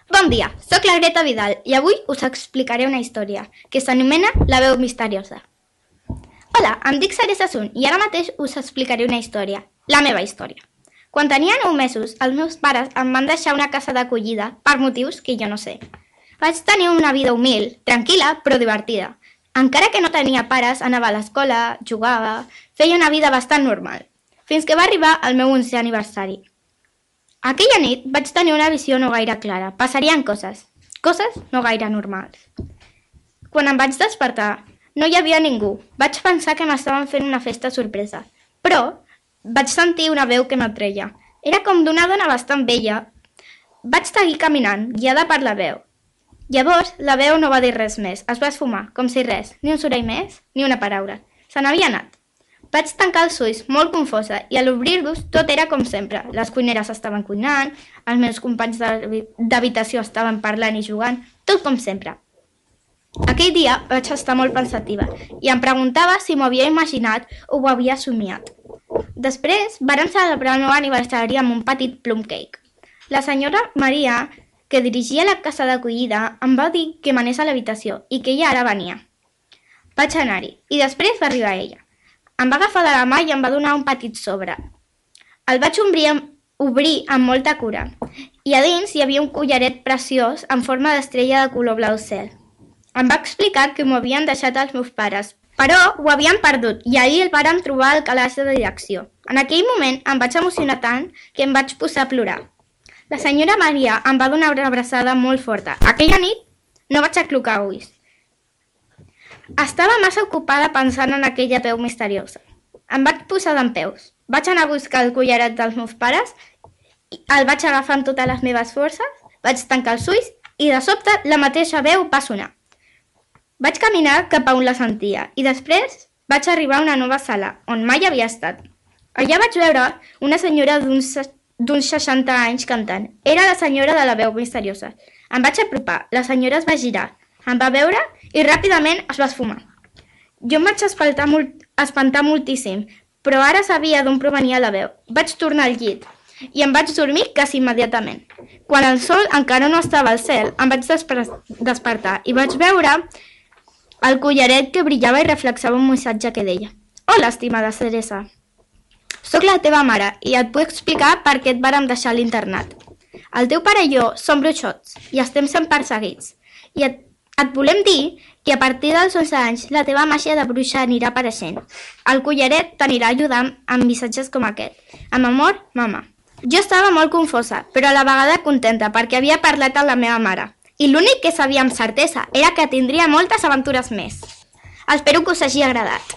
Bon dia, sóc la Greta Vidal i avui us explicaré una història que s'anomena La veu misteriosa. Hola, em dic Sara Sassoon i ara mateix us explicaré una història, la meva història. Quan tenia 9 mesos, els meus pares em van deixar una casa d'acollida per motius que jo no sé. Vaig tenir una vida humil, tranquil·la però divertida. Encara que no tenia pares, anava a l'escola, jugava, feia una vida bastant normal, fins que va arribar el meu 11è aniversari. Aquella nit vaig tenir una visió no gaire clara. Passarien coses no gaire normals. Quan em vaig despertar, no hi havia ningú. Vaig pensar que m'estaven fent una festa sorpresa, però vaig sentir una veu que m'atreia. Era com d'una dona bastant vella. Vaig seguir caminant, guiada per la veu. Llavors, la veu no va dir res més. Es va esfumar, com si res. Ni un soroll més, ni una paraula. Se n'havia anat. Vaig tancar els ulls, molt confosa, i a l'obrir-los tot era com sempre. Les cuineres estaven cuinant, els meus companys d'habitació estaven parlant i jugant, tot com sempre. Aquell dia vaig estar molt pensativa i em preguntava si m'ho havia imaginat o ho havia somiat. Després varen celebrar el meu aniversari amb un petit plum cake. La senyora Maria, que dirigia la casa d'acollida, em va dir que m'anés a l'habitació i que ella ara venia. Vaig anar-hi i després va arribar ella. Em va agafar de la mà i em va donar un petit sobre. El vaig obrir amb molta cura i a dins hi havia un collaret preciós en forma d'estrella de color blau cel. Em va explicar que m'ho havien deixat els meus pares, però ho havien perdut i ahir el vàrem trobar al calaix de direcció. En aquell moment em vaig emocionar tant que em vaig posar a plorar. La senyora Maria em va donar una abraçada molt forta. Aquella nit no vaig aclucar ulls. Estava massa ocupada pensant en aquella veu misteriosa. Em vaig posar dempeus. Vaig anar a buscar el collaret dels meus pares, el vaig agafar amb totes les meves forces, vaig tancar els ulls i de sobte la mateixa veu va sonar. Vaig caminar cap a on la sentia i després vaig arribar a una nova sala, on mai havia estat. Allà vaig veure una senyora d'uns 60 anys cantant. Era la senyora de la veu misteriosa. Em vaig apropar, la senyora es va girar, em va veure i ràpidament es va esfumar. Jo em vaig espantar moltíssim, però ara sabia d'on provenia la veu. Vaig tornar al llit i em vaig dormir quasi immediatament. Quan el sol encara no estava al cel, em vaig despertar i vaig veure el collaret que brillava i reflexava un missatge que deia: Hola, estimada Teresa. Soc la teva mare i et puc explicar per què et vàrem deixar a l'internat. El teu pare i jo som bruixots i estem sent perseguits. I et volem dir que a partir dels 11 anys la teva màgia de bruixa anirà apareixent. El collaret t'anirà ajudant amb missatges com aquest. Amb amor, mama. Jo estava molt confosa, però a la vegada contenta perquè havia parlat amb la meva mare. I l'únic que sabia amb certesa era que tindria moltes aventures més. Espero que us hagi agradat.